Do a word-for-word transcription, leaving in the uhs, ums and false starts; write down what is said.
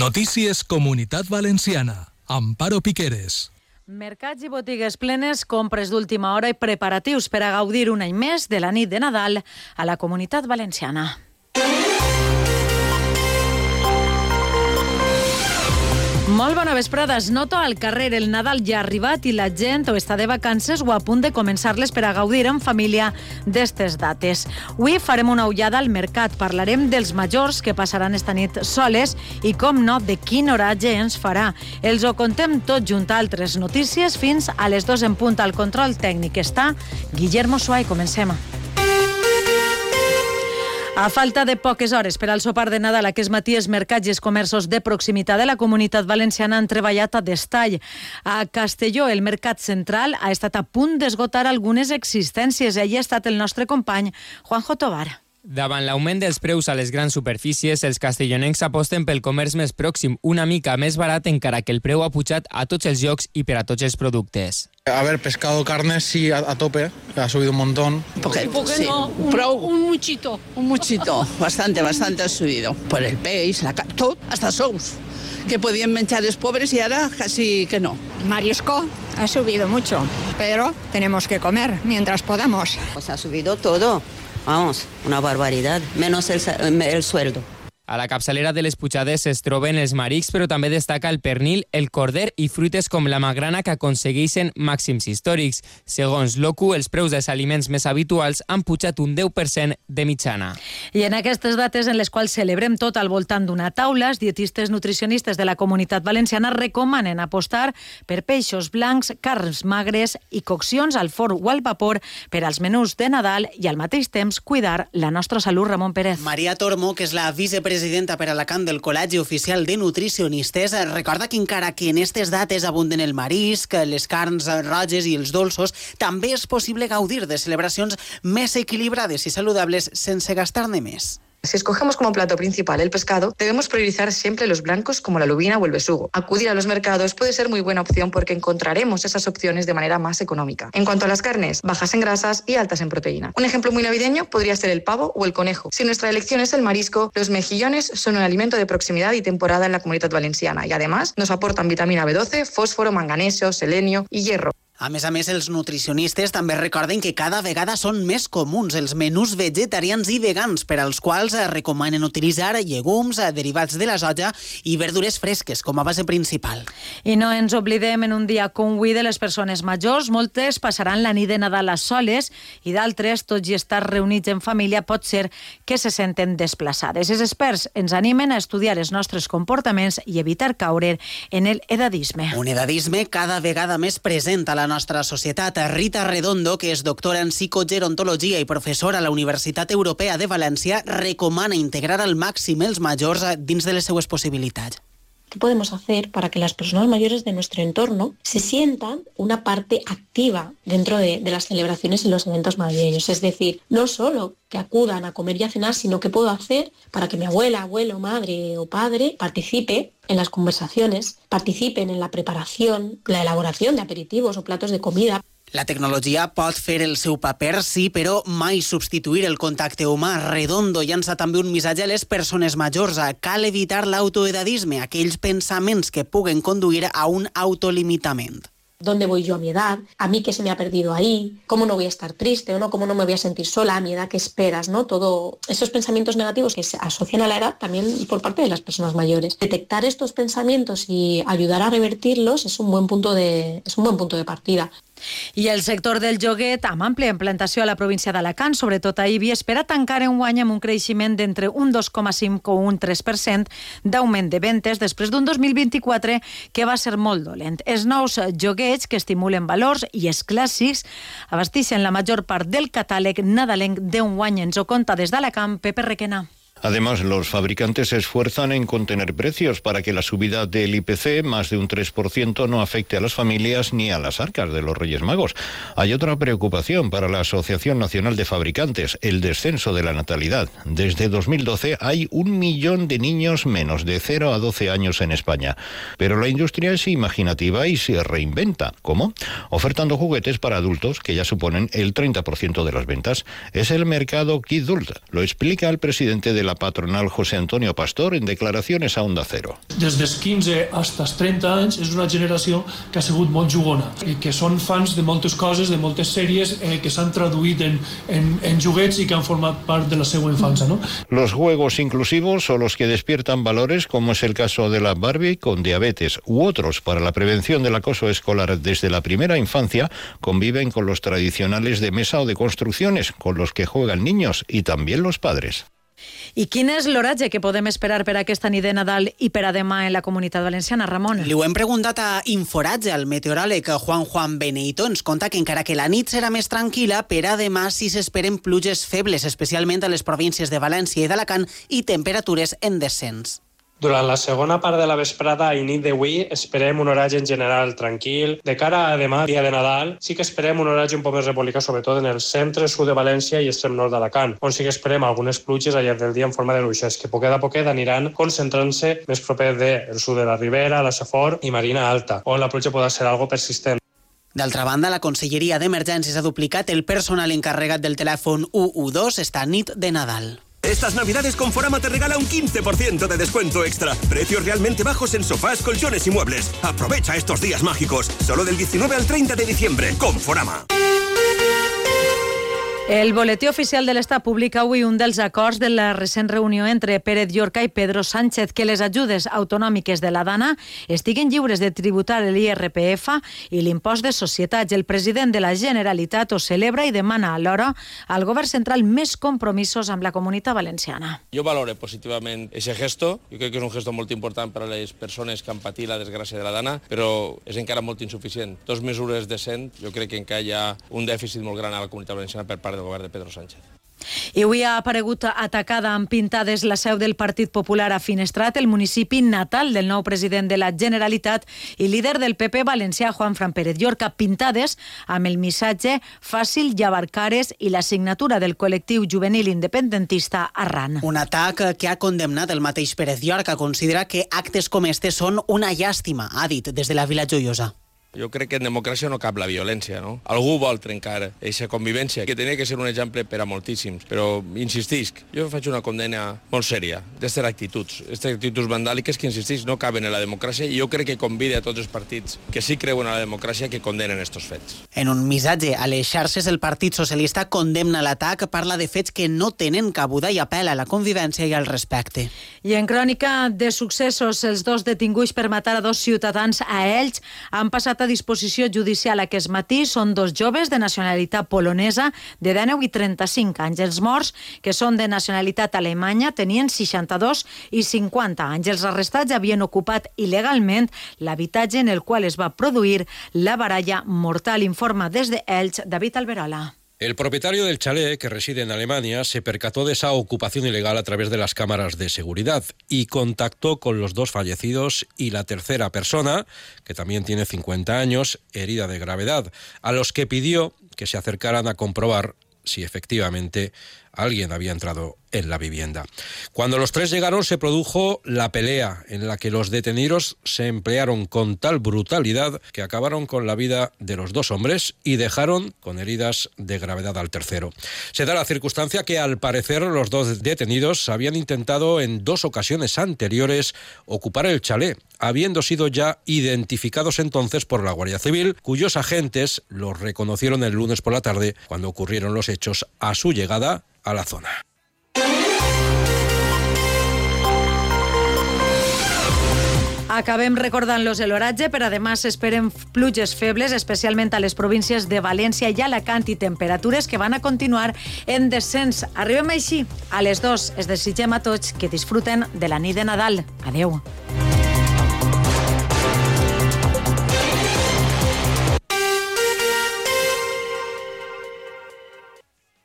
Notícies Comunitat Valenciana. Amparo Piqueres. Mercats i botigues plenes, compres d'última hora i preparatius per a gaudir un any més de la nit de Nadal a la Comunitat Valenciana. Molt bona vesprada. Es nota al carrer. El Nadal ja ha arribat i la gent o està de vacances o a punt de començar-les per a gaudir en família d'estes dates. Avui farem una ullada al mercat. Parlarem dels majors que passaran esta nit soles i, com no, de quin oratge ens farà. Els ho contem tot junt a altres notícies fins a les dues en punt. Al control tècnic està Guillermo Suay. Comencem. A falta de poques hores per al sopar de Nadal, aquest matí els mercats i els comerços de proximitat de la Comunitat Valenciana han treballat a destall. A Castelló, el mercat central ha estat a punt d'esgotar algunes existències. Allí ha estat el nostre company Juanjo Tobar. Davant l'augment dels preus a les grans superfícies, els castellonencs aposten pel comerç més pròxim, una mica més barat, encara que el preu ha pujat a tots els llocs i per a tots els productes. A ver, pescado, carne, sí, a, a tope, ha subido un montón. Porque, sí, no, un, un muchito. Un muchito, bastante, bastante ha subido. Por el peix, la carne, todo, hasta sous, que podían menjar los pobres y ahora casi que no. Marisco ha subido mucho, pero tenemos que comer mientras podamos. Pues ha subido todo. Vamos, una barbaridad, menos el, el sueldo. A la capçalera de les pujades es troben els marics, però també destaca el pernil, el corder i fruites com la magrana que aconsegueixen màxims històrics. Segons l'O C U, els preus dels aliments més habituals han pujat un deu per cent de mitjana. I en aquestes dates en les quals celebrem tot al voltant d'una taula, els dietistes nutricionistes de la Comunitat Valenciana recomanen apostar per peixos blancs, carns magres i coccions al forn o al vapor per als menús de Nadal i al mateix temps cuidar la nostra salut. Ramon Pérez. Maria Tormo, que és la vicepresidenta presidenta per Alacant del Col·legi Oficial de Nutricionistes, recorda que encara que en aquestes dates abunden el marisc, les carns roges i els dolços, també és possible gaudir de celebracions més equilibrades i saludables sense gastar-ne més. Si escogemos como plato principal el pescado, debemos priorizar siempre los blancos como la lubina o el besugo. Acudir a los mercados puede ser muy buena opción porque encontraremos esas opciones de manera más económica. En cuanto a las carnes, bajas en grasas y altas en proteína. Un ejemplo muy navideño podría ser el pavo o el conejo. Si nuestra elección es el marisco, los mejillones son un alimento de proximidad y temporada en la Comunitat Valenciana y además nos aportan vitamina B doce, fósforo, manganeso, selenio y hierro. A més a més, els nutricionistes també recorden que cada vegada són més comuns els menús vegetarians i vegans, per als quals recomanen utilitzar llegums, derivats de la soja i verdures fresques com a base principal. I no ens oblidem en un dia com avui de les persones majors. Moltes passaran la nit de Nadal a soles i d'altres, tot i estar reunits en família, pot ser que se senten desplaçades. Els experts ens animen a estudiar els nostres comportaments i evitar caure en el edadisme. Un edadisme cada vegada més present a la nostra societat. Rita Redondo, que és doctora en psicogerontologia i professora a la Universitat Europea de València, recomana integrar al màxim els majors dins de les seues possibilitats. ¿Qué podemos hacer para que las personas mayores de nuestro entorno se sientan una parte activa dentro de, de las celebraciones y los eventos navideños? Es decir, no solo que acudan a comer y a cenar, sino qué puedo hacer para que mi abuela, abuelo, madre o padre participe en las conversaciones, participen en la preparación, la elaboración de aperitivos o platos de comida. La tecnologia pot fer el seu paper, sí, però mai substituir el contacte humà. Redondo llança també un missatge a les persones majors. Cal evitar l'autoedadisme, aquells pensaments que puguen conduir a un autolimitament. ¿Dónde voy yo a mi edad? ¿A mí qué se me ha perdido ahí? ¿Cómo no voy a estar triste o no? ¿Cómo no me voy a sentir sola a mi edad? ¿Qué esperas? ¿No? Todo esos pensamientos negativos que se asocian a la edad también por parte de las personas mayores. Detectar estos pensamientos y ayudar a revertirlos es un buen punto de, es un buen punto de partida. I el sector del joguet, amb àmplia implantació a la província d'Alacant, sobretot a Ibi, espera tancar enguany amb un creixement d'entre un dos coma cinc o un tres per cent d'augment de ventes després d'un dos mil vint-i-quatre que va ser molt dolent. Els nous joguets, que estimulen valors, i els clàssics abasteixen la major part del catàleg nadalenc d'enguany. Ens ho conta des d'Alacant Pepe Requena. Además, los fabricantes se esfuerzan en contener precios para que la subida del I P C, más de un tres por ciento, no afecte a las familias ni a las arcas de los Reyes Magos. Hay otra preocupación para la Asociación Nacional de Fabricantes, el descenso de la natalidad. Desde dos mil doce hay un millón de niños menos de cero a doce años en España. Pero la industria es imaginativa y se reinventa. ¿Cómo? Ofertando juguetes para adultos, que ya suponen el treinta por ciento de las ventas. Es el mercado Kidult. Lo explica el presidente de la la patronal José Antonio Pastor en declaraciones a Onda Cero. Des dels quinze fins als trenta anys és una generació que ha sigut molt jugona i que són fans de moltes coses, de moltes sèries eh, que s'han traduït en, en, en juguets i que han format part de la seva infança, ¿no? Los juegos inclusivos o los que despiertan valores, como es el caso de la Barbie con diabetes u otros para la prevención del acoso escolar desde la primera infancia, conviven con los tradicionales de mesa o de construcciones, con los que juegan niños y también los padres. I quin és l'oratge que podem esperar per aquesta nit de Nadal i per a demà en la Comunitat Valenciana, Ramon? Li ho hem preguntat a Inforatge, el meteoròleg Juan Juan Beneito. Ens conta que encara que la nit serà més tranquil·la, per a demà sí s'esperen pluges febles, especialment a les províncies de València i d'Alacant, i temperatures en descens. Durant la segona part de la vesprada i nit d'avui esperem un oratge en general tranquil. De cara a demà, dia de Nadal, sí que esperem un oratge un poc més republicà, sobretot en el centre, sud de València i extrem nord d'Alacant, on sí que esperem algunes pluges al llarg del dia en forma de ruixes, que poquet a poquet aniran concentrant-se més proper del sud de la Ribera, la Safor i Marina Alta, on la pluja podrà ser algo persistent. D'altra banda, la Conselleria d'Emergències ha duplicat el personal encarregat del telèfon u u dos esta nit de Nadal. Estas navidades Conforama te regala un quince por ciento de descuento extra. Precios realmente bajos en sofás, colchones y muebles. Aprovecha estos días mágicos. Solo del diecinueve al treinta de diciembre. Conforama. El Boletí Oficial de l'Estat publica avui un dels acords de la recent reunió entre Pérez Llorca i Pedro Sánchez, que les ajudes autonòmiques de la Dana estiguen lliures de tributar l'I R P F i l'impost de societats. El president de la Generalitat ho celebra i demana alhora al govern central més compromisos amb la Comunitat Valenciana. Jo valoro positivament aquest gesto. Jo crec que és un gesto molt important per a les persones que han patit la desgràcia de la Dana, però és encara molt insuficient. Dos mesures decents, jo crec que encara hi ha un dèficit molt gran a la Comunitat Valenciana per part del govern de Pedro Sánchez. I avui ha aparegut atacada amb pintades la seu del Partit Popular a Finestrat, el municipi natal del nou president de la Generalitat i líder del P P valencià, Juanfran Pérez Llorca. Pintades amb el missatge «Fàcil llevar cares» i la signatura del col·lectiu juvenil independentista Arran. Un atac que ha condemnat el mateix Pérez Llorca. Considera que actes com este són una llàstima, ha dit des de la Vila Joiosa. Jo crec que en democràcia no cap la violència, no? Algú vol trencar aquesta convivència, que tenia que ser un exemple per a moltíssims, però insistisc, jo faig una condena molt sèria d'aquestes actituds, aquestes actituds vandàliques que, insistís, no caben en la democràcia, i jo crec que convida a tots els partits que sí creuen en la democràcia que condenen aquests fets. En un missatge a les xarxes, el Partit Socialista condemna l'atac, parla de fets que no tenen cabuda i apel·la a la convivència i al respecte. I en crònica de successos, els dos detinguts per matar a dos ciutadans a Elx han passat a disposició judicial aquest matí. Són dos joves de nacionalitat polonesa de dinou i trenta-cinc anys. Els morts, que són de nacionalitat alemanya, tenien seixanta-dos i cinquanta anys. Els arrestats havien ocupat il·legalment l'habitatge en el qual es va produir la baralla mortal. Informa des de Elx, David Alberola. El propietario del chalet, que reside en Alemania, se percató de esa ocupación ilegal a través de las cámaras de seguridad y contactó con los dos fallecidos y la tercera persona, que también tiene cincuenta años, herida de gravedad, a los que pidió que se acercaran a comprobar si efectivamente alguien había entrado en la vivienda. Cuando los tres llegaron se produjo la pelea en la que los detenidos se emplearon con tal brutalidad que acabaron con la vida de los dos hombres y dejaron con heridas de gravedad al tercero. Se da la circunstancia que al parecer los dos detenidos habían intentado en dos ocasiones anteriores ocupar el chalet, habiendo sido ya identificados entonces por la Guardia Civil, cuyos agentes los reconocieron el lunes por la tarde cuando ocurrieron los hechos a su llegada a la zona. Acabem recordant-los l'oratge, però además esperen pluges febles, especialment a les províncies de València i Alacant, i temperatures que van a continuar en descens. Arribem així a les dos. Es desitgem a tots que disfruten de la nit de Nadal. Adeu.